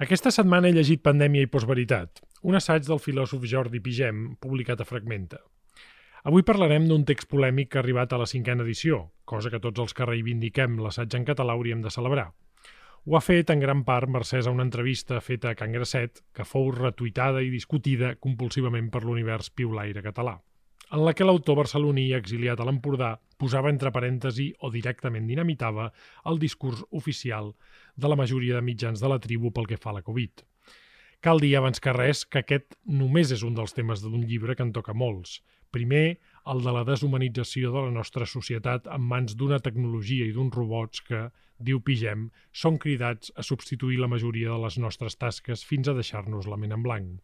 Aquesta setmana he llegit Pandèmia i postveritat, un assaig del filòsof Jordi Pigem, publicat a Fragmenta. Avui parlarem d'un text polèmic que ha arribat a la 5ª edició, cosa que tots els que reivindiquem l'assaig en català hauríem de celebrar. Ho ha fet en gran part mercès a una entrevista feta a Can Grasset, que fou retuitada i discutida compulsivament per l'univers piulaire català, en la que l'autor barceloní exiliat a l'Empordà posava entre parèntesi o directament dinamitava el discurs oficial de la majoria de mitjans de la tribu pel que fa a la Covid. Cal dir abans que res que aquest només és un dels temes d'un llibre que en toca molts. Primer, el de la deshumanització de la nostra societat en mans d'una tecnologia i d'uns robots que, diu Pigem, són cridats a substituir la majoria de les nostres tasques fins a deixar-nos la ment en blanc.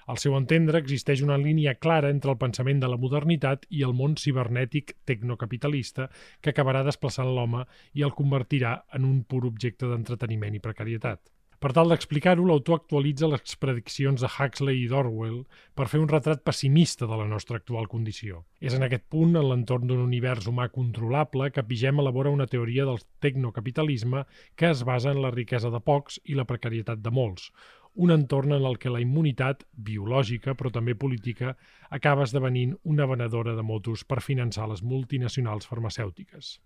Al seu entendre, existeix una línia clara entre el pensament de la modernitat i el món cibernètic tecnocapitalista que acabarà desplaçant l'home i el convertirà en un pur objecte d'entreteniment i precarietat. Per tal d'explicar-ho, l'autor actualitza les prediccions de Huxley i d'Orwell per fer un retrat pessimista de la nostra actual condició. És en aquest punt, en l'entorn d'un univers humà controlable, que Pigem elabora una teoria del tecnocapitalisme que es basa en la riquesa de pocs i la precarietat de molts, un entorn en el que la immunitat, biològica però també política, acaba esdevenint una venedora de motos per finançar les multinacionals farmacèutiques.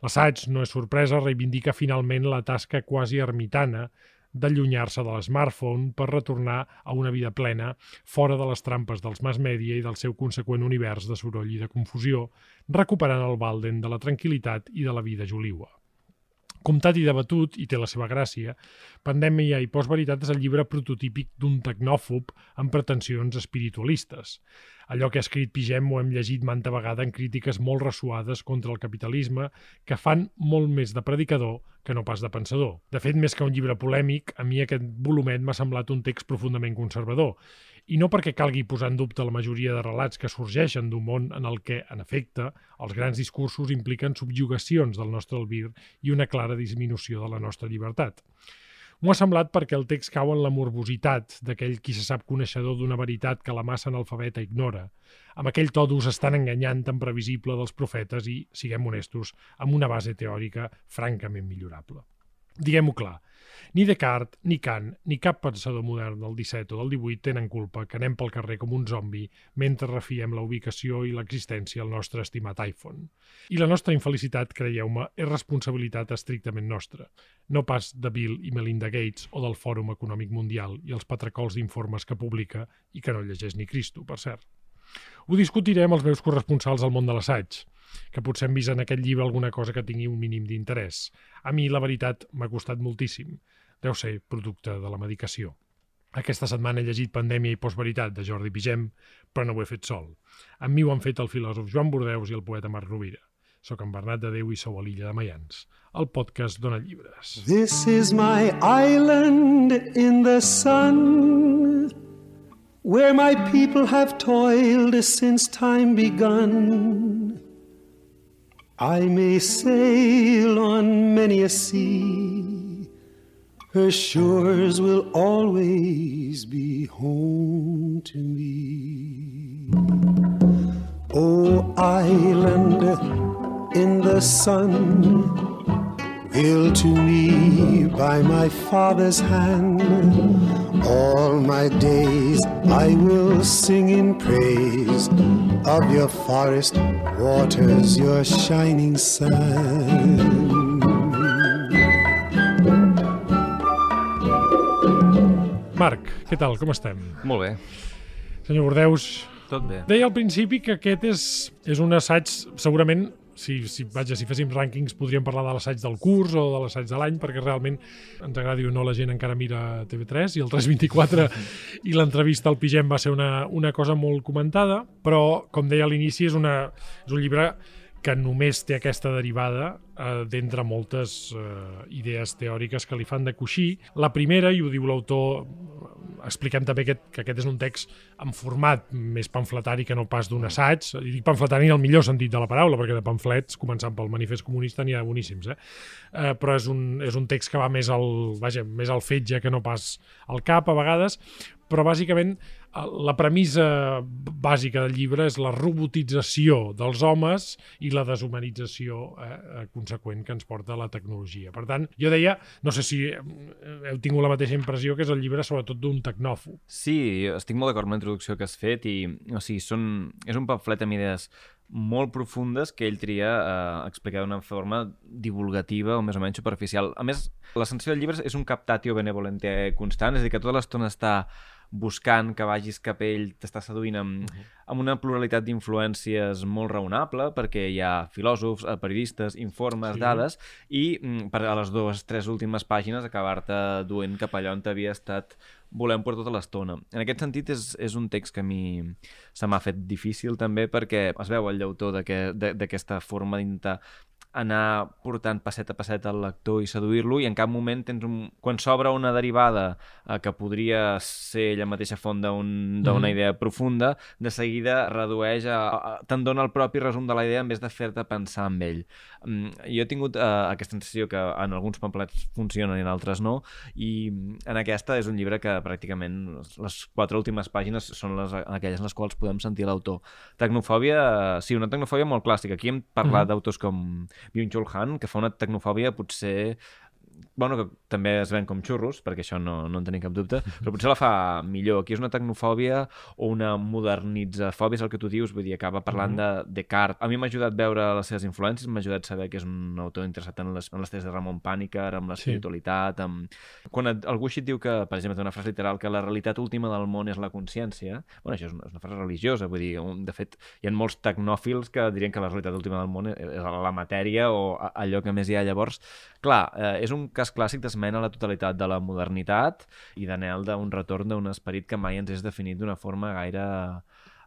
L'assaig, no és sorpresa, reivindica finalment la tasca quasi ermitana d'allunyar-se de l'smartphone per retornar a una vida plena, fora de les trampes dels mass media i del seu conseqüent univers de soroll i de confusió, recuperant el Walden de la tranquil·litat i de la vida joliua. Comptat i debatut, i té la seva gràcia, Pandèmia i postveritat és el llibre prototípic d'un tecnòfob amb pretensions espiritualistes. Allò que ha escrit Pigem ho hem llegit manta vegada en crítiques molt ressuades contra el capitalisme que fan molt més de predicador que no pas de pensador. De fet, més que un llibre polèmic, a mi aquest volumet m'ha semblat un text profundament conservador. I no perquè calgui posar en dubte la majoria de relats que sorgeixen d'un món en el que, en efecte, els grans discursos impliquen subjugacions del nostre albir i una clara disminució de la nostra llibertat. M'ho ha semblat perquè el text cau en la morbositat d'aquell qui se sap coneixedor d'una veritat que la massa analfabeta ignora, amb aquell to d'ús estan enganyant tan previsible dels profetes i, siguem honestos, amb una base teòrica francament millorable. Diguem-ho clar, ni Descartes, ni Kant, ni cap pensador modern del XVII o del XVIII tenen culpa que anem pel carrer com un zombi mentre refiem la ubicació i l'existència al nostre estimat iPhone. I la nostra infelicitat, creieu-me, és responsabilitat estrictament nostra, no pas de Bill i Melinda Gates o del Fòrum Econòmic Mundial i els patracols d'informes que publica i que no llegeix ni Cristo, per cert. Ho discutiré amb els meus corresponsals al món de l'assaig, que potser han vist en aquest llibre alguna cosa que tingui un mínim d'interès. A mi, la veritat, m'ha costat moltíssim. Deu ser producte de la medicació. Aquesta setmana he llegit Pandèmia i postveritat de Jordi Pigem, però no ho he fet sol. Amb mi ho han fet el filòsof Joan Bordeus i el poeta Marc Rovira. Soc en Bernat de Déu i sou a l'Illa de Maians. El podcast dona llibres. This is my island in the sun, where my people have toiled since time begun. I may sail on many a sea, her shores will always be home to me. O island in the sun, built to me by my father's hand, all my days I will sing in praise of your forest waters, your shining sun. Marc, què tal? Com estem? Molt bé. Senyor Bordeus, Tot bé. deia al principi que aquest és un assaig, segurament, si féssim rànquings podríem parlar de l'assaig del curs o de l'assaig de l'any, perquè realment ens agradi o no la gent encara mira TV3 i el 324 i l'entrevista al Pigem va ser una cosa molt comentada, però com deia a l'inici és un llibre que només té aquesta derivada d'entre moltes idees teòriques que li fan de coixí. La primera, i ho diu l'autor, expliquem també que aquest és un text en format més pamfletari que no pas d'un assaig, i dic pamfletari en el millor sentit de la paraula, perquè de pamflets, començant pel Manifest Comunista, n'hi ha boníssims, però és un text que va més al fetge que no pas al cap a vegades, però bàsicament la premissa bàsica del llibre és la robotització dels homes i la deshumanització conseqüent que ens porta la tecnologia. Per tant, jo deia, no sé si heu tingut la mateixa impressió, que és el llibre sobretot d'un tecnòfob. Sí, estic molt d'acord amb la introducció que has fet i, o sigui, és un pamflet amb idees molt profundes que ell tria explicar d'una forma divulgativa o més o menys superficial. A més, l'essència del llibre és un captatio benevolente constant, és a dir, que tota l'estona està buscant que vagis cap a ell, t'està seduint amb una pluralitat d'influències molt raonable, perquè hi ha filòsofs, periodistes, informes, dades, i per a les 2-3 últimes pàgines acabar-te duent cap allà on t'havia estat volem per tota l'estona. En aquest sentit és un text que a mi se m'ha fet difícil també, perquè es veu el llautó d'aquesta forma d'intentar anar portant passet a passet al lector i seduir-lo, i en cap moment quan s'obre una derivada que podria ser ella mateixa font d'una idea profunda, de seguida redueix te'n dona el propi resum de la idea en vez de fer-te pensar en ell. Jo he tingut aquesta sensació que en alguns pamflets funcionen i en altres no, i en aquesta és un llibre que pràcticament les 4 últimes pàgines són aquelles en les quals podem sentir l'autor. Tecnofòbia, sí, una tecnofòbia molt clàssica. Aquí hem parlat d'autors com Byung-Chul Han, que fa una tecnofòbia potser... Bueno, que també es ven com xurros, perquè això no en tenim cap dubte, però potser la fa millor. Aquí és una tecnofòbia o una modernitzafòbia, és el que tu dius, vull dir, acaba parlant de Descartes. A mi m'ha ajudat veure les seves influències, m'ha ajudat saber que és un autor interessat en les tesis de Ramon Pàniker, amb l'espiritualitat, Quan algú així et diu que, per exemple, té una frase literal, que la realitat última del món és la consciència, bueno, això és una frase religiosa, vull dir, de fet, hi ha molts tecnòfils que dirien que la realitat última del món és la matèria o allò que més hi ha. Llavors, clar, és un cas clàssic d'esmena a la totalitat de la modernitat i d'anhel d'un retorn d'un esperit que mai ens és definit d'una forma gaire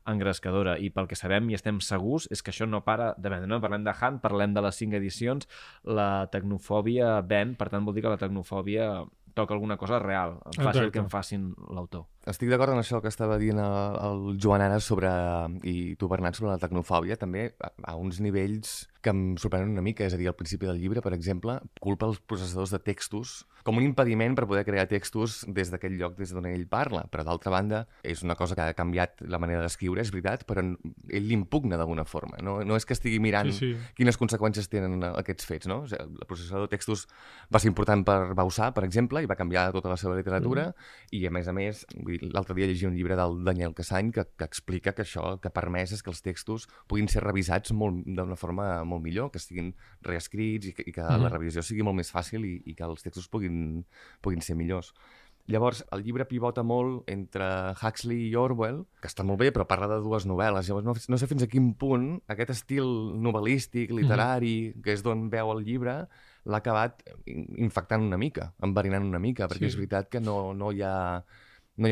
engrescadora. I pel que sabem i estem segurs és que això no para de vendre. No parlem de Han, parlem de les 5 edicions, la tecnofòbia ven, per tant vol dir que la tecnofòbia toca alguna cosa real, fàcil que en facin l'autor. Estic d'acord en això que estava dient el Joan ara i tu, Bernat, sobre la tecnofòbia, també a uns nivells que em sorprenen una mica. És a dir, al principi del llibre, per exemple, culpa els processadors de textos com un impediment per poder crear textos des d'aquell lloc des d'on ell parla. Però, d'altra banda, és una cosa que ha canviat la manera d'escriure, és veritat, però ell l'impugna d'alguna forma. No és que estigui mirant quines conseqüències tenen aquests fets, no? O sigui, el processador de textos va ser important per Bausà, per exemple, i va canviar tota la seva literatura, i a més, l'altre dia llegia un llibre del Daniel Cassany que explica que això que ha permès és que els textos puguin ser revisats d'una forma molt millor, que estiguin reescrits i que la revisió sigui molt més fàcil i que els textos puguin ser millors. Llavors, el llibre pivota molt entre Huxley i Orwell, que està molt bé, però parla de 2 novel·les. Llavors, no sé fins a quin punt aquest estil novel·lístic, literari, que és d'on veu el llibre, l'ha acabat infectant una mica, enverinant una mica, perquè és veritat que no hi ha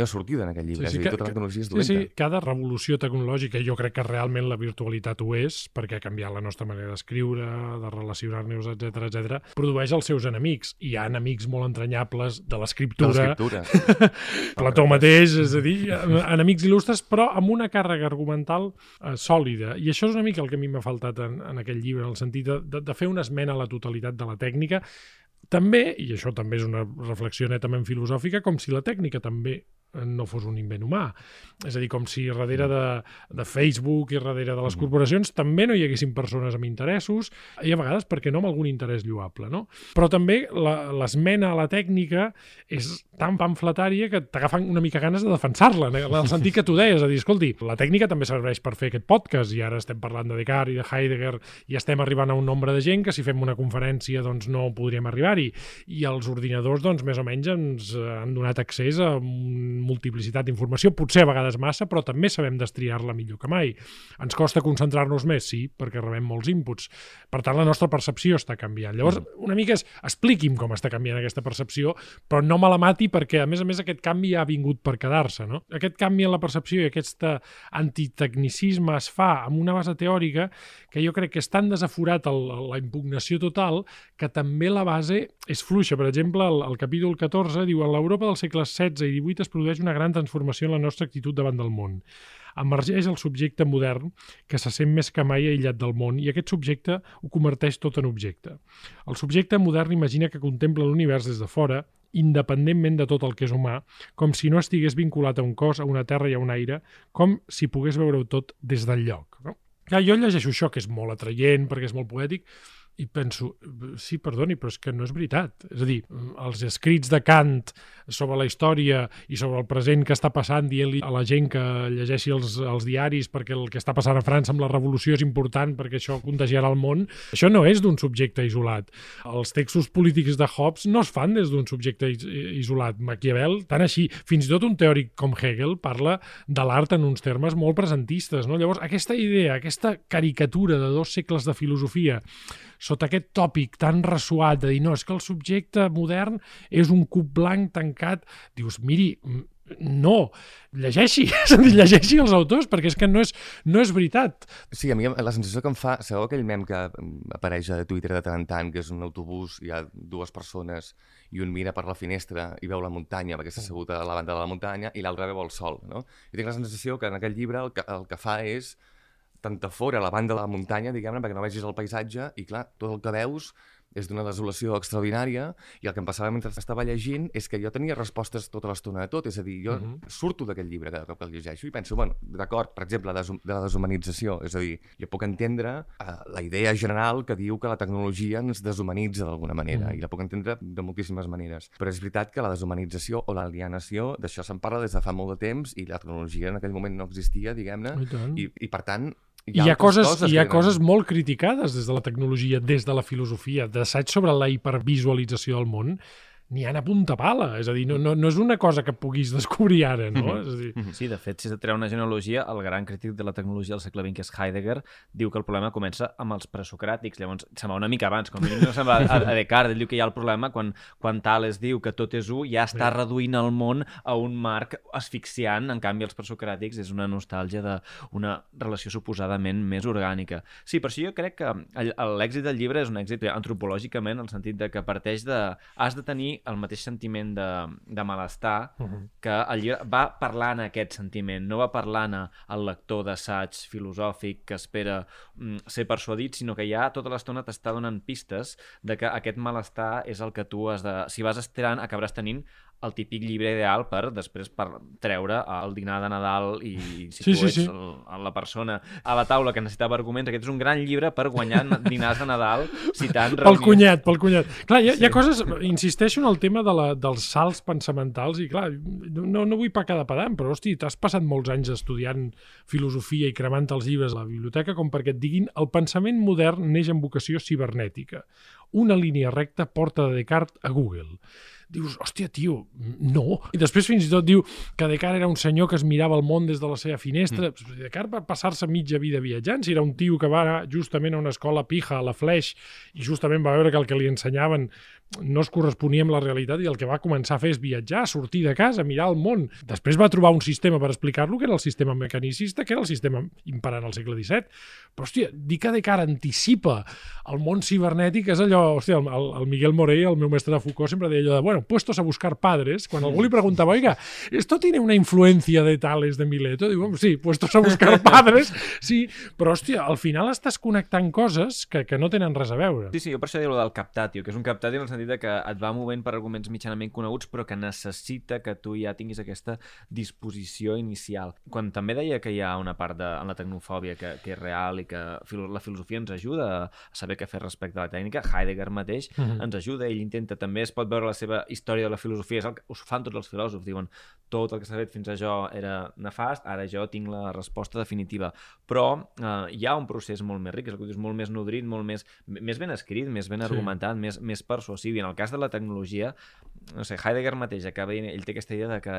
sortida en aquest llibre, és a dir, tota la tecnologia és dolenta. Sí, cada revolució tecnològica, jo crec que realment la virtualitat ho és, perquè ha canviat la nostra manera d'escriure, de relacionar-nos, etc., produeix els seus enemics. Hi ha enemics molt entranyables de l'escriptura. Plató mateix, és a dir, enemics il·lustres, però amb una càrrega argumental sòlida. I això és una mica el que a mi m'ha faltat en aquest llibre, en el sentit de fer una esmena a la totalitat de la tècnica. També, i això també és una reflexió netament filosòfica, com si la tècnica també no fos un invent humà. És a dir, com si darrere de Facebook i darrere de les corporacions també no hi haguessin persones amb interessos, i a vegades, perquè no, amb algun interès lloable, no? Però també l'esmena a la tècnica és tan pamfletària que t'agafen una mica ganes de defensar-la, en el sentit que tu deies, a dir, escolti, la tècnica també serveix per fer aquest podcast, i ara estem parlant de Descartes i de Heidegger, i estem arribant a un nombre de gent que si fem una conferència doncs no podríem arribar-hi, i els ordinadors doncs més o menys ens han donat accés a multiplicitat d'informació, potser a vegades massa, però també sabem destriar-la millor que mai. Ens costa concentrar-nos més, sí, perquè rebem molts inputs. Per tant, la nostra percepció està canviant. Llavors, una mica expliqui'm com està canviant aquesta percepció, però no me la mati perquè, a més, aquest canvi ha vingut per quedar-se, no? Aquest canvi en la percepció i aquest antitecnicisme es fa amb una base teòrica que jo crec que és tan desaforat la impugnació total que també la base és fluixa. Per exemple, el capítol 14 diu: en l'Europa dels segles XVI i XVIII es produeix una gran transformació en la nostra actitud davant del món. Emergeix el subjecte modern que se sent més que mai aïllat del món, i aquest subjecte ho converteix tot en objecte. El subjecte modern imagina que contempla l'univers des de fora independentment de tot el que és humà, com si no estigués vinculat a un cos, a una terra i a un aire, com si pogués veure-ho tot des del lloc. No? Clar, jo llegeixo això, que és molt atraient, perquè és molt poètic, i penso, sí, perdoni, però és que no és veritat. És a dir, els escrits de Kant sobre la història i sobre el present que està passant, dient-li a la gent que llegeixi els diaris perquè el que està passant a França amb la revolució és important perquè això contagiarà el món, això no és d'un subjecte isolat. Els textos polítics de Hobbes no es fan des d'un subjecte isolat. Maquiavel, tant així, fins i tot un teòric com Hegel parla de l'art en uns termes molt presentistes. No? Llavors, aquesta idea, aquesta caricatura de 2 segles de filosofia sota aquest tòpic tan ressuat de dir no, és que el subjecte modern és un cub blanc tancat, dius, miri, no, llegeixi els autors, perquè és que no és veritat. Sí, a mi la sensació que em fa, sabeu aquell mem que apareix a Twitter de tant en tant, que és un autobús, hi ha 2 persones i un mira per la finestra i veu la muntanya perquè està assegut a la banda de la muntanya i l'altre veu el sol, no? Jo tinc la sensació que en aquest llibre el que fa és t'entafora la banda de la muntanya, diguem-ne, perquè no vegis el paisatge i, clar, tot el que veus és d'una desolació extraordinària i el que em passava mentre estava llegint és que jo tenia respostes tota l'estona de tot, és a dir, jo surto d'aquest llibre cada cop que el llegeixo i penso, bueno, d'acord, per exemple, de la deshumanització, és a dir, jo puc entendre la idea general que diu que la tecnologia ens deshumanitza d'alguna manera i la puc entendre de moltíssimes maneres, però és veritat que la deshumanització o l'alienació, d'això se'n parla des de fa molt de temps i la tecnologia en aquell moment no existia, diguem-ne, i per tant hi ha coses molt criticades des de la tecnologia, des de la filosofia, d'assaig sobre la hipervisualització del món, n'hi ha a punta pala, és a dir, no és una cosa que puguis descobrir ara, no? És a dir... Sí, de fet, si has de treure una genealogia, el gran crític de la tecnologia del segle XX, que és Heidegger, diu que el problema comença amb els presocràtics, llavors se'n va una mica abans, com no se'n va a Descartes, ell diu que hi ha el problema quan Tales diu que tot és ja està reduint el món a un marc asfixiant, en canvi els presocràtics és una nostàlgia d'una relació suposadament més orgànica. Sí, per això jo crec que l'èxit del llibre és un èxit antropològicament, en el sentit de que parteix de... has de tenir el mateix sentiment de malestar que el llibre va parlant aquest sentiment, no va parlant al lector d'assaig filosòfic que espera ser persuadit, sinó que ja tota l'estona t'està donant pistes de que aquest malestar és el que tu has de... Si vas estirant, acabaràs tenint el típic llibre ideal per després treure el dinar de Nadal i si tu ets la persona a la taula que necessitava arguments, aquest és un gran llibre per guanyar dinars de Nadal citant reunions. Pel cunyat. Clar, hi ha coses, insisteixo en el tema dels salts pensamentals i clar, no vull pecar de pedant, però hosti, t'has passat molts anys estudiant filosofia i cremant els llibres a la biblioteca com perquè et diguin el pensament modern neix amb vocació cibernètica. Una línia recta porta de Descartes a Google. Dius, hòstia, tio, no. I després fins i tot diu que Descartes era un senyor que es mirava el món des de la seva finestra. Descartes va passar-se mitja vida viatjant. Si era un tio que va anar justament a una escola pija, a la Fleix, i justament va veure que el que li ensenyaven no es corresponia amb la realitat i el que va començar a fer és viatjar, sortir de casa, mirar el món. Després va trobar un sistema per explicar-lo, que era el sistema mecanicista, que era el sistema imperant al segle XVII. Però, hòstia, dir que Descartes anticipa el món cibernètic és allò... Hòstia, el Miguel Morell, el meu mestre de Foucault, sempre deia allò de, bueno, puestos a buscar padres, quan algú li preguntava, oiga, ¿esto tiene una influencia de Tales de Mileto? Diu, sí, puestos a buscar padres, sí, però, hòstia, al final estàs connectant coses que no tenen res a veure. Sí, jo per això dic del captatio, que és un captatio en el sentit que et va movent per arguments mitjanament coneguts, però que necessita que tu ja tinguis aquesta disposició inicial. Quan també deia que hi ha una part en la tecnofòbia que és real i que la filosofia ens ajuda a saber què fer respecte a la tècnica, Heidegger mateix ens ajuda, ell intenta, també es pot veure la seva història de la filosofia, és el que us fan tots els filòsofs, diuen, tot el que s'ha fet fins a jo era nefast, ara jo tinc la resposta definitiva. Però hi ha un procés molt més ric, és el que dius, molt més nodrit, molt més ben escrit, més ben argumentat, més persuasiu. I en el cas de la tecnologia, no sé, Heidegger mateix acaba dient, ell té aquesta idea de que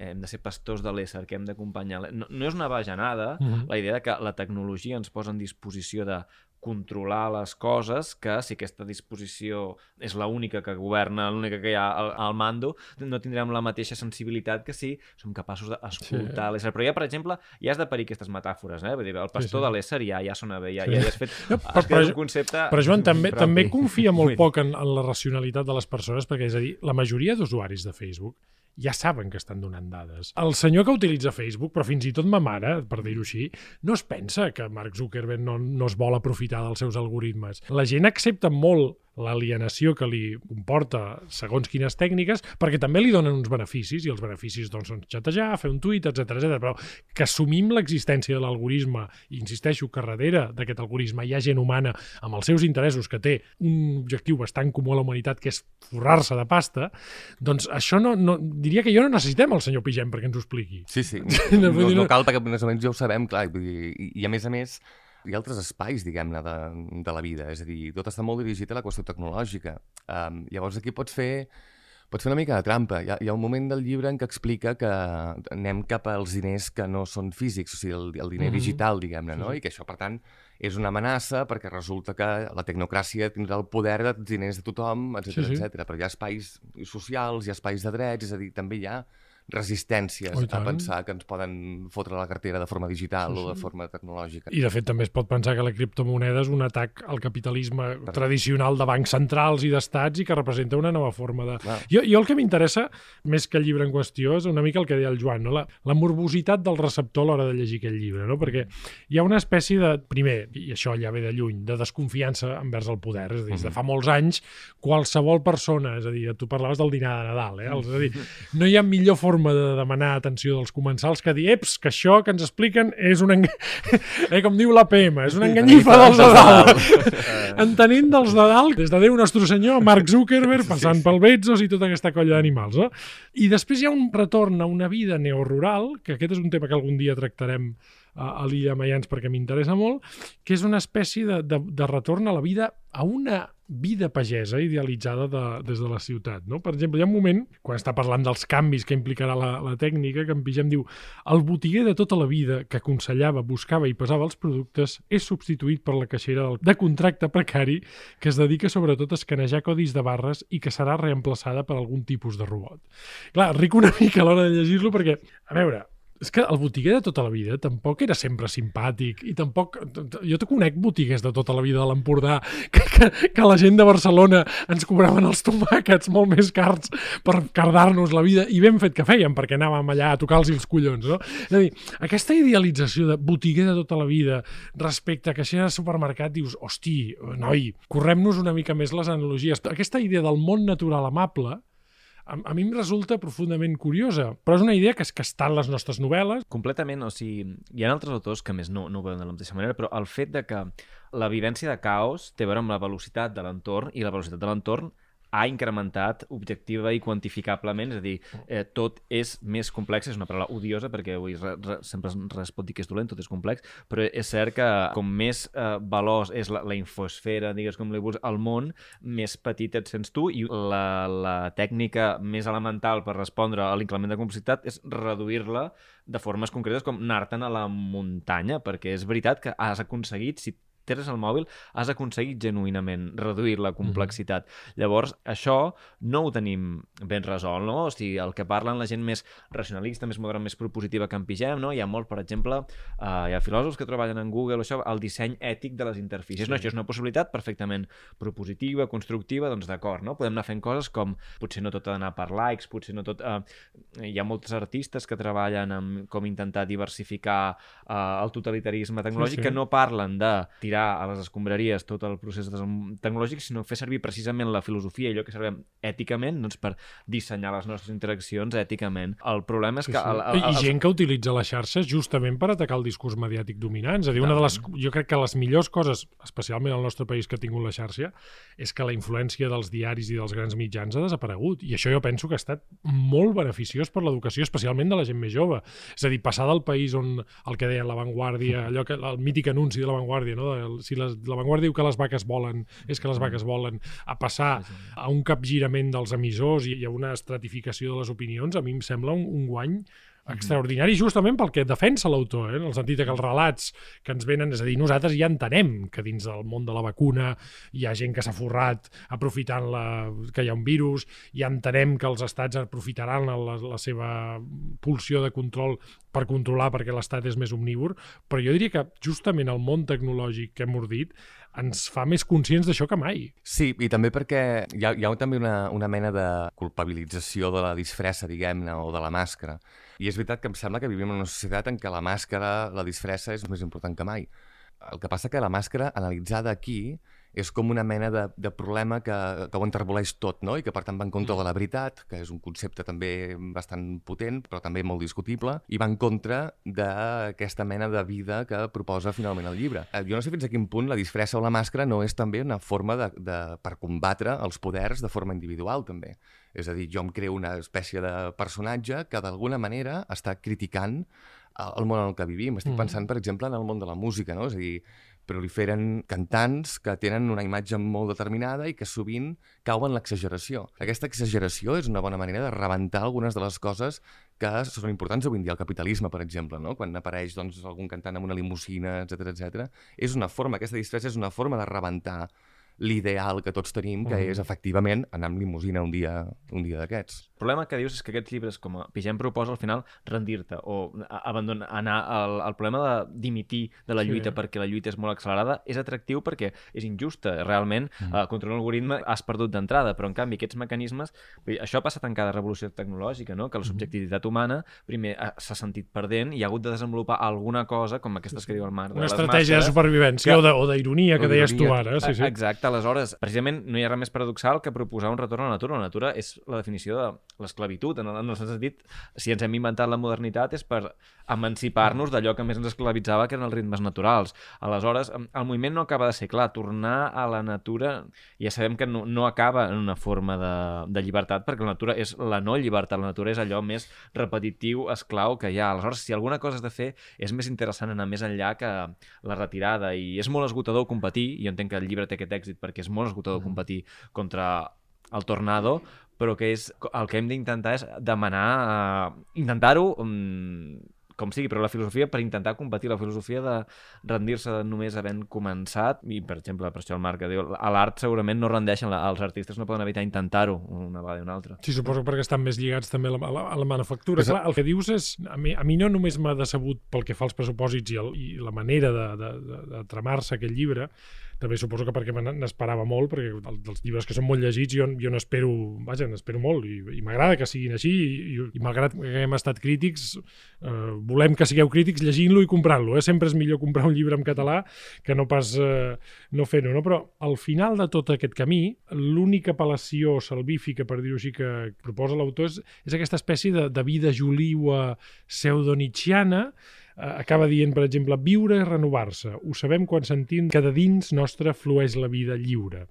hem de ser pastors de l'ésser, que hem d'acompanyar. No és una bajanada la idea de que la tecnologia ens posa en disposició de controlar les coses, que si aquesta disposició és l'única que governa, l'única que hi ha al mando, no tindrem la mateixa sensibilitat que si som capaços d'escoltar l'ésser. Però ja, per exemple, ja has de parir aquestes metàfores, Vull dir, el pastor de l'ésser ja sona bé, ja has fet un concepte... Però Joan, també confia molt poc en la racionalitat de les persones, perquè és a dir, la majoria d'usuaris de Facebook ja saben que estan donant dades. El senyor que utilitza Facebook, però fins i tot ma mare, per dir-ho així, no es pensa que Mark Zuckerberg no es vol aprofitar dels seus algoritmes. La gent accepta molt l'alienació que li comporta segons quines tècniques, perquè també li donen uns beneficis, i els beneficis doncs, són xatejar, fer un tuit, etc, però que assumim l'existència de l'algoritme, i insisteixo que darrere d'aquest algoritme hi ha gent humana amb els seus interessos, que té un objectiu bastant comú a la humanitat, que és forrar-se de pasta, doncs això diria que no necessitem el senyor Pigem perquè ens ho expliqui. Sí. No cal, perquè més o menys ja ho sabem, clar, i a més, hi ha altres espais, diguem-ne, de la vida, és a dir, tot està molt dirigit a la qüestió tecnològica. Llavors aquí pots fer una mica de trampa. Hi ha un moment del llibre en què explica que anem cap als diners que no són físics, o sigui, el diner digital, diguem-ne, no? I que això, per tant, és una amenaça perquè resulta que la tecnocràcia tindrà el poder dels diners de tothom, etc. Però hi ha espais socials, hi ha espais de drets, és a dir, també hi ha resistències a pensar que ens poden fotre la cartera de forma digital o de forma tecnològica. I de fet també es pot pensar que la criptomoneda és un atac al capitalisme tradicional de bancs centrals i d'estats i que representa una nova forma de... Jo el que m'interessa, més que el llibre en qüestió, és una mica el que deia el Joan, no? La morbositat del receptor a l'hora de llegir aquest llibre, no? Perquè hi ha una espècie de, primer, i això ja ve de lluny, de desconfiança envers el poder, és a dir, des de fa molts anys, qualsevol persona, és a dir, tu parlaves del dinar de Nadal, és a dir, no hi ha millor forma de demanar atenció dels comensals que dir, que això que ens expliquen és un com diu l'APM, és una enganyifa dels de dalt. Entenent dels de dalt, des de Déu Nostre Senyor, Mark Zuckerberg, passant pel Bezos i tota aquesta colla d'animals. No? I després hi ha un retorn a una vida neorural, que aquest és un tema que algun dia tractarem a l'Illa Maians perquè m'interessa molt, que és una espècie de retorn a la vida, a una vida pagesa idealitzada des de la ciutat. No? Per exemple, hi ha un moment, quan està parlant dels canvis que implicarà la tècnica, que en Pigem diu: el botiguer de tota la vida que aconsellava, buscava i pesava els productes és substituït per la caixera de contracte precari que es dedica sobretot a escanejar codis de barres i que serà reemplaçada per algun tipus de robot. Clar, ric una mica a l'hora de llegir-lo perquè, a veure, és que el botiguer de tota la vida tampoc era sempre simpàtic i tampoc... Jo te conec botiguers de tota la vida de l'Empordà que la gent de Barcelona ens cobraven els tomàquets molt més cars per cardar-nos la vida, i ben fet que fèiem perquè anàvem allà a tocar-los els collons, no? És a dir, aquesta idealització de botiguer de tota la vida respecte a caixera de supermercat, dius, hosti, noi, correm-nos una mica més les analogies. Aquesta idea del món natural amable a mi em resulta profundament curiosa, però és una idea que està en les nostres novel·les. Completament, o sigui, hi ha altres autors que més no ho veuen de la mateixa manera, però el fet de que la vivència de caos té a veure amb la velocitat de l'entorn, i la velocitat de l'entorn ha incrementat objectiva i quantificablement, és a dir, tot és més complex, és una paraula odiosa perquè avui sempre res pot dir que és dolent, tot és complex, però és cert que com més veloç és la infosfera, digues com li vols, al món, més petit et sents tu, i la tècnica més elemental per respondre a l'increment de complexitat és reduir-la de formes concretes, com anar-te'n a la muntanya, perquè és veritat que has aconseguit, si tens el mòbil, has aconseguit genuïnament reduir la complexitat. Llavors, això no ho tenim ben resolt, no? O sigui, el que parlen la gent més racionalista, més moderna, més propositiva que en Pigem, no? Hi ha molt, per exemple, hi ha filòsofs que treballen en Google, això, el disseny ètic de les interfícies. Sí. No, això és una possibilitat perfectament propositiva, constructiva, doncs d'acord, no? Podem anar fent coses com, potser no tot ha d'anar per likes, potser no tot... hi ha molts artistes que treballen amb com intentar diversificar el totalitarisme tecnològic, que no parlen de tirar a les escombraries tot el procés tecnològic, sinó fer servir precisament la filosofia i allò que servem èticament, doncs, per dissenyar les nostres interaccions èticament. El problema és que... I gent que utilitza la xarxa justament per atacar el discurs mediàtic dominant. És a dir, jo crec que les millors coses, especialment al nostre país que ha tingut la xarxa, és que la influència dels diaris i dels grans mitjans ha desaparegut. I això jo penso que ha estat molt beneficiós per l'educació, especialment de la gent més jove. És a dir, passar del país on el que deien La Vanguardia, allò que, el mític anunci de La Vanguardia, no? Si La Vanguardia diu que les vaques volen, és que les vaques volen, a passar a un capgirament dels emissors i a una estratificació de les opinions, a mi em sembla un guany extraordinari, justament pel que defensa l'autor, en el sentit que els relats que ens venen, és a dir, nosaltres ja entenem que dins del món de la vacuna hi ha gent que s'ha forrat aprofitant que hi ha un virus, ja entenem que els estats aprofitaran la seva pulsió de control per controlar perquè l'estat és més omnívor, però jo diria que justament el món tecnològic que hem ordit ens fa més conscients d'això que mai. Sí, i també perquè hi ha també una mena de culpabilització de la disfressa, diguem-ne, o de la màscara. I és veritat que em sembla que vivim en una societat en què la màscara, la disfressa, és més important que mai. El que passa que la màscara, analitzada aquí, és com una mena de problema que ho enterboleix tot, no? I que per tant va en contra de la veritat, que és un concepte també bastant potent, però també molt discutible, i va en contra d'aquesta mena de vida que proposa finalment el llibre. Jo no sé fins a quin punt la disfressa o la màscara no és també una forma per combatre els poders de forma individual, també. És a dir, jo em creo una espècie de personatge que d'alguna manera està criticant el món en el que vivim. Estic pensant, per exemple, en el món de la música, no? És a dir, proliferen cantants que tenen una imatge molt determinada i que sovint cauen en l'exageració. Aquesta exageració és una bona manera de rebentar algunes de les coses que són importants avui en dia. El capitalisme, per exemple, no? Quan apareix doncs, algun cantant amb una limusina, etc. És una forma, aquesta disfressa és una forma de rebentar l'ideal que tots tenim, que és, efectivament, anar amb limusina un dia d'aquests. El problema que dius és que aquests llibres, com a Pigem proposa, al final, rendir-te o abandonar, anar al problema dimitir de la lluita perquè la lluita és molt accelerada, és atractiu perquè és injusta. Realment, contra un algoritme has perdut d'entrada, però, en canvi, aquests mecanismes... Això ha passat en cada revolució tecnològica, no? Que la subjectivitat humana, primer, s'ha sentit perdent i ha hagut de desenvolupar alguna cosa, com aquestes que diu el Marc, una estratègia de supervivència o d'ironia, que deies tu ara. Sí. Exacte. Aleshores, precisament, no hi ha res més paradoxal que proposar un retorn a la natura. La natura és la definició de l'esclavitud. En el sentit, si ens hem inventat la modernitat és per emancipar-nos d'allò que més ens esclavitzava, que eren els ritmes naturals. Aleshores, el moviment no acaba de ser clar. Tornar a la natura, ja sabem que no acaba en una forma de llibertat, perquè la natura és la no llibertat. La natura és allò més repetitiu, esclau que hi ha. Aleshores, si alguna cosa has de fer, és més interessant anar més enllà que la retirada. I és molt esgotador competir, i jo entenc que el llibre té aquest èxit perquè és molt esgotador competir contra el tornado, però que el que hem d'intentar és demanar, intentar-ho com sigui, però la filosofia per intentar competir, la filosofia de rendir-se només havent començat, i per exemple, per això el Marc diu, a l'art segurament no rendeixen, els artistes no poden evitar intentar-ho una vegada i una altra. Sí, suposo perquè estan més lligats també a la manufactura. Clar, el que dius és, a mi no només m'ha decebut pel que fa als pressupòsits i la manera de tramar-se aquest llibre, també suposo que perquè n'esperava molt, perquè dels llibres que són molt llegits jo n'espero molt i m'agrada que siguin així i malgrat que hem estat crítics, volem que sigueu crítics llegint-lo i comprant-lo. Sempre és millor comprar un llibre en català que no pas no fer-ho, no? Però al final de tot aquest camí, l'única apel·lació salvífica, per dir-ho així, que proposa l'autor és aquesta espècie de vida joliua pseudo-nietzschiana. Acaba dient, per exemple, viure i renovar-se. Ho sabem quan sentim que de dins nostre flueix la vida lliure.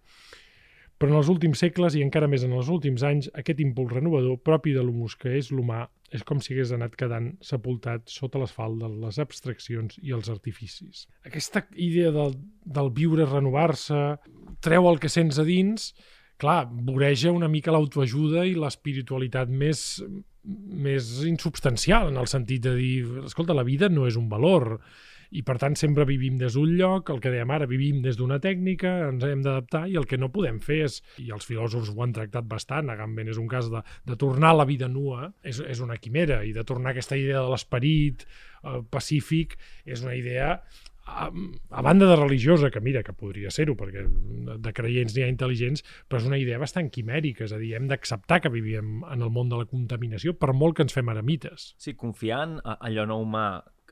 Però en els últims segles, i encara més en els últims anys, aquest impuls renovador propi de l'humus que és l'humà és com si hagués anat quedant sepultat sota l'asfalt de les abstraccions i els artificis. Aquesta idea del viure i renovar-se treu el que sents a dins, clar, voreja una mica l'autoajuda i l'espiritualitat més insubstancial, en el sentit de dir, escolta, la vida no és un valor i per tant sempre vivim des d'un lloc, el que dèiem ara, vivim des d'una tècnica, ens hem d'adaptar i el que no podem fer és, i els filòsofs ho han tractat bastant, Agamben és un cas de tornar a la vida nua, és una quimera, i de tornar a aquesta idea de l'esperit pacífic és una idea a banda de religiosa, que mira, que podria ser-ho, perquè de creients n'hi ha intel·ligents, però és una idea bastant quimèrica, és a dir, hem d'acceptar que vivim en el món de la contaminació, per molt que ens fem eremites. Sí, confiar en allò no humà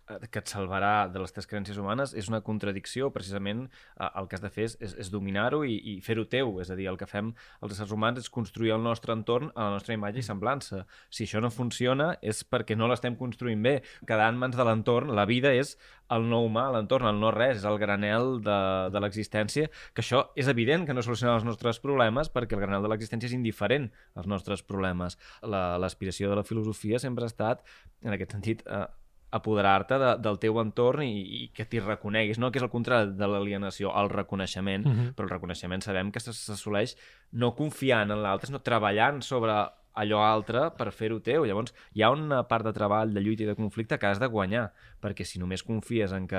que et salvarà de les teves creences humanes és una contradicció. Precisament el que has de fer és dominar-ho i fer-ho teu. És a dir, el que fem els éssers humans és construir el nostre entorn a la nostra imatge i semblança. Si això no funciona és perquè no l'estem construint bé. Quedar en mans de l'entorn, la vida és el no humà, l'entorn, el no res, és el granel de l'existència, que això és evident que no soluciona els nostres problemes perquè el granel de l'existència és indiferent als nostres problemes. L'aspiració de la filosofia sempre ha estat, en aquest sentit, apoderar-te del teu entorn i que t'hi reconeguis, no? Que és el contrari de l'alienació, el reconeixement, però el reconeixement sabem que s'assoleix no confiant en l'altre, sinó treballant sobre allò altre per fer-ho teu. Llavors, hi ha una part de treball, de lluita i de conflicte que has de guanyar, perquè si només confies en que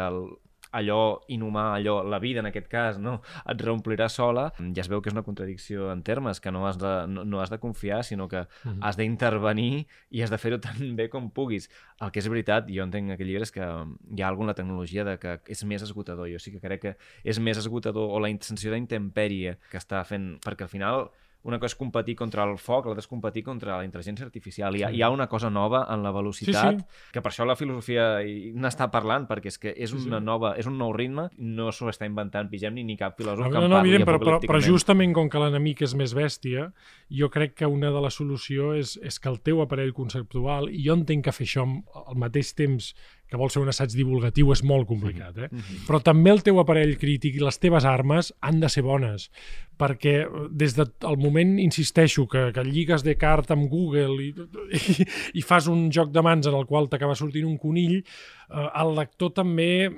allò inhumà, la vida en aquest cas, no, et reomplirà sola, ja es veu que és una contradicció en termes, que no has de confiar, sinó que has d'intervenir i has de fer-ho tan bé com puguis. El que és veritat, jo entenc aquest llibre, és que hi ha alguna tecnologia de que és més esgotador. Jo sí que crec que és més esgotador, o la sensació d'intempèrie que està fent, perquè al final una cosa és competir contra el foc, l'altra és competir contra la intel·ligència artificial. Hi ha una cosa nova en la velocitat, que per això la filosofia n'està parlant, perquè és que és un nou ritme, no s'ho està inventant Pigem ni cap filòsof que en parli apocalípticament. Però justament com que l'enemic és més bèstia, jo crec que una de les solucions és que el teu aparell conceptual, i jo entenc que fer això al mateix temps que vol ser un assaig divulgatiu és molt complicat, però també el teu aparell crític i les teves armes han de ser bones, perquè des del moment, insisteixo, que lligues Descartes amb Google i fas un joc de mans en el qual t'acaba sortint un conill, el lector també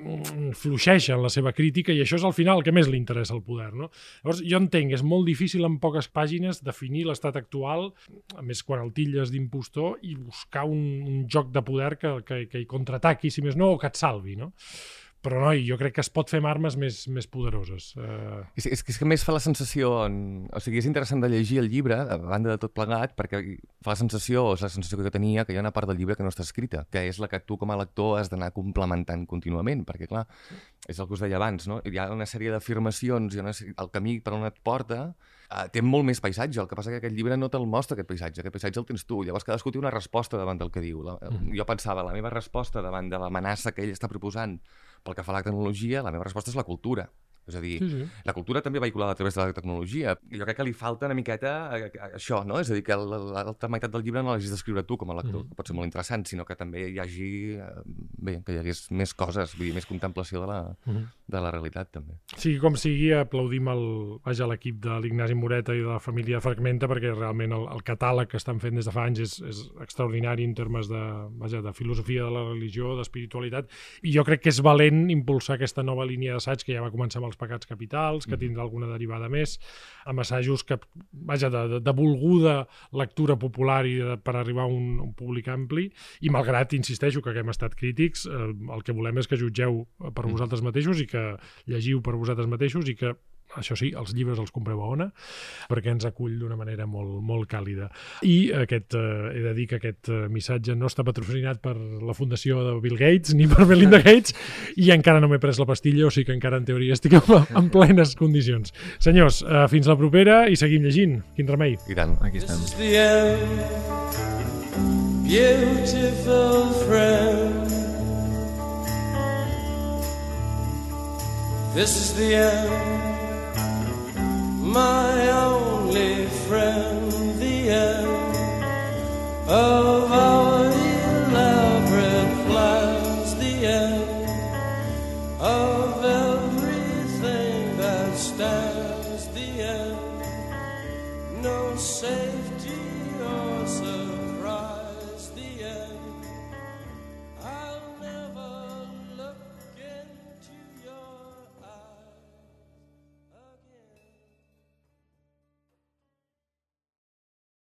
fluixeja en la seva crítica i això és al final el que més li interessa al poder, no? Llavors, jo entenc, és molt difícil en poques pàgines definir l'estat actual, a més quan el tilles d'impostor, i buscar un joc de poder que hi contraataqui, si més no, o que et salvi, no? Però, noi, jo crec que es pot fer amb armes més poderoses. És que a més fa la sensació... O sigui, és interessant de llegir el llibre, a banda de tot plegat, perquè fa la sensació, o és la sensació que jo tenia, que hi ha una part del llibre que no està escrita, que és la que tu com a lector has d'anar complementant contínuament, perquè, clar, és el que us deia abans, no? Hi ha una sèrie d'afirmacions, el camí per on et porta té molt més paisatge, el que passa que aquest llibre no te'l mostra, aquest paisatge el tens tu, llavors cadascú té una resposta davant del que diu. Jo pensava, la meva resposta davant de l'amenaça que ell està proposant pel que fa a la tecnologia, la meva resposta és la cultura. És a dir, la cultura també vehiculada a través de la tecnologia. Jo crec que li falta una miqueta això, no? És a dir, que l'altra meitat del llibre no l'hagis d'escriure tu com a lector, que pot ser molt interessant, sinó que també hi hagi... que hi hagués més coses, vull dir, més contemplació de la realitat, també. Sigui com sigui, aplaudim l'equip de l'Ignasi Moreta i de la família Fragmenta, perquè realment el catàleg que estan fent des de fa anys és extraordinari en termes de filosofia de la religió, d'espiritualitat, i jo crec que és valent impulsar aquesta nova línia d'assaig que ja va començar amb els pecats capitals, que tindrà alguna derivada més, amb assajos que, de volguda lectura popular i per arribar a un públic ampli, i malgrat, insisteixo, que hem estat crítics, el que volem és que jutgeu per vosaltres mateixos i que llegiu per vosaltres mateixos i que, això sí, els llibres els compreu a Ona, perquè ens acull d'una manera molt, molt càlida. I he de dir que aquest missatge no està patrocinat per la fundació de Bill Gates ni per Melinda Gates i encara no m'he pres la pastilla, o sigui que encara en teoria estic en plenes condicions. Senyors, fins la propera i seguim llegint. Quin remei. I tant. Aquí estem. This is the end, beautiful friend. This is the end, my only friend, the end of our elaborate plans, the end of everything that stands, the end, no say